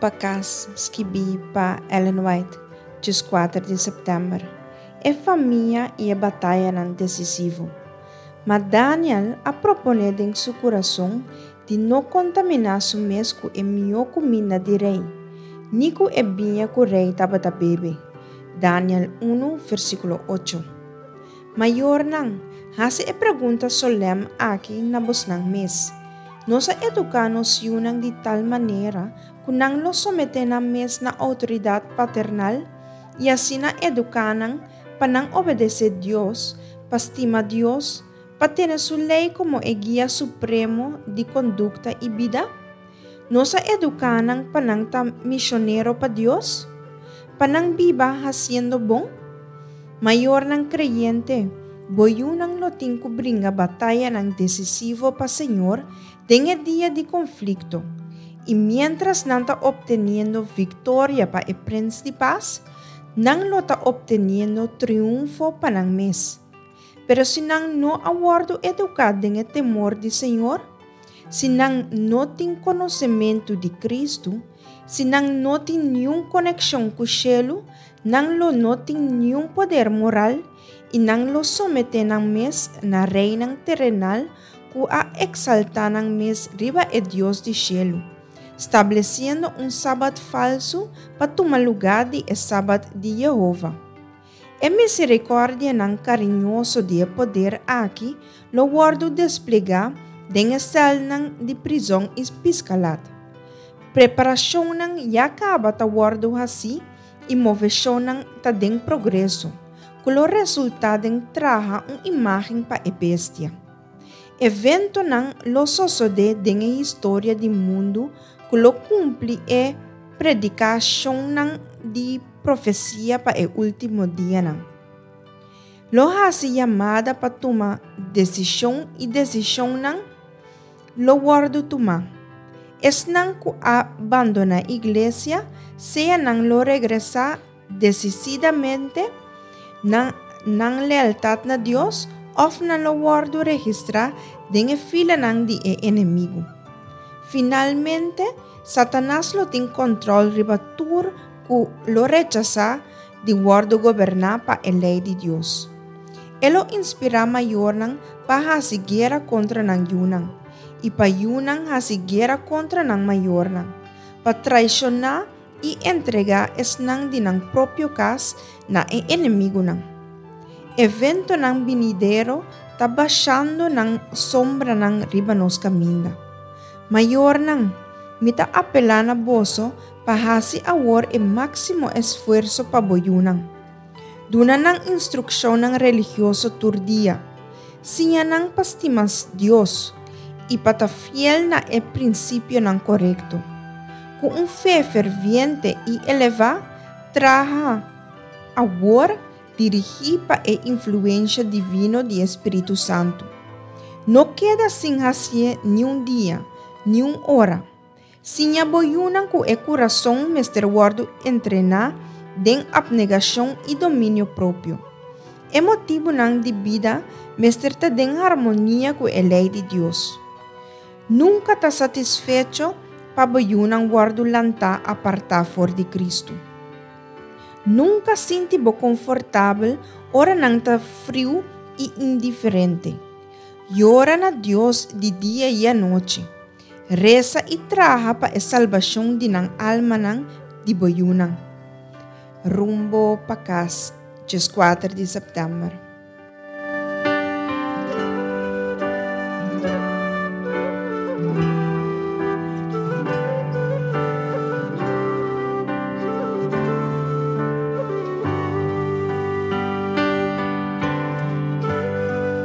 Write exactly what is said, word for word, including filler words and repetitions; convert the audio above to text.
pa Kas, skibí pa Ellen White, dieskuater di sèptèmber. E famia i e batayanan desisivo. Ma Daniel a proponé den su kurason di no kontaminá su mes ku e mihó kuminda di rei, ni ku e biña ku rei tabata bebe. Daniel un, versíkulo ocho. Mayornan, hasi e pregunta solèm aki na bosnan mes: Nos a eduká nos yunan di tal manera ku nan lo someté nan mes na outoridat paternal i asina eduká nan pa nan obedesé Dios, pa stima Dios, pa tene su lei komo e guia supremo di kondukta i bida? Nos a eduká nan pa nan ta misionero pa Dios? Pa nan biba hasiendo bon? Mayornan kreyente, bo yunan lo tin ku bringa batayanan desisivo pa Señor den e dia di konflikto. I miéntras nan ta opteniendo viktoria pa e Prens di Pas, nan lo ta opteniendo triunfo pa nan mes. Pero si nan no a wòrdu eduká den e temor di Señor, si nan no tin konosementu di Kristu, si nan no tin niun konekshon ku shelu, nan lo no tin niun poder moral i nan lo someté nan mes na reinan terenal ku a eksaltá nan mes riba e Dios di shelu, stablesiendo un sabat falsu pa tuma lugá di e sabat di Yehova. E miserikòrdianan kariñoso di e poder aki lo wòrdu desplegá den e sèlnan di prizòn i piskalat. Preparashonnan ya kaba ta wòrdu hasí i moveshonnan ta den progreso, ku lo resultá den traha un imágen pa e bestia. Eventonan lo sosodé den e historia di mundu ku lo kumpli e predikashonnan di profesia pa e último dianan. Lo hasi yamada pa tuma desishon i desishonnan lo wòrdu tumá. Esnan ku a bandoná iglesia, sea nan lo regresá desididamente na nan lealtat na Dios òf nan lo wòrdu registrá den e filanan di e enemigu. Finalmente, Satanas lo tin kòntròl riba tur ku lo rechasá di wòrdu goberná pa e lei di Dios. E lo inspirá mayornan pa hasi guera kontra nan yunan, i pa yunan hasi guera kontra nan mayornan, pa traishoná i entregá esnan di nan propio kas na e enemigunan. Eventonan binidero ta bashando nan sombranan riba nos kaminda. Mayornan, mi ta apelá na boso pa hasi awor e máksimo esfuerso pa bo yunan. Duna nan instrukshonnan religioso tur dia. Siña nan pa stima Dios i pa ta fiel na e prinsipionan korekto. Ku un fe ferviente i elevá, traha awor dirigí pa e influensia divino di e Spiritu Santu. No keda sin hasié niun dia, niun ora. Siña bo yunan ku e kurason mester wòrdu entrená den apnegashon i dominio propio. E motibunan di bida mester ta den harmonia ku e lei di Dios. Nunka ta satisfecho pa bo yunan wòrdu lantá apartá for di Kristu. Nunka sinti bo konfortabel ora nan ta friu i indiferente. Yora na Dios di dia i anochi. Resa i traha pa e salbashon di nan almanan di bo yunan. Rumbo pa Kas, dieskuater di sèptèmber.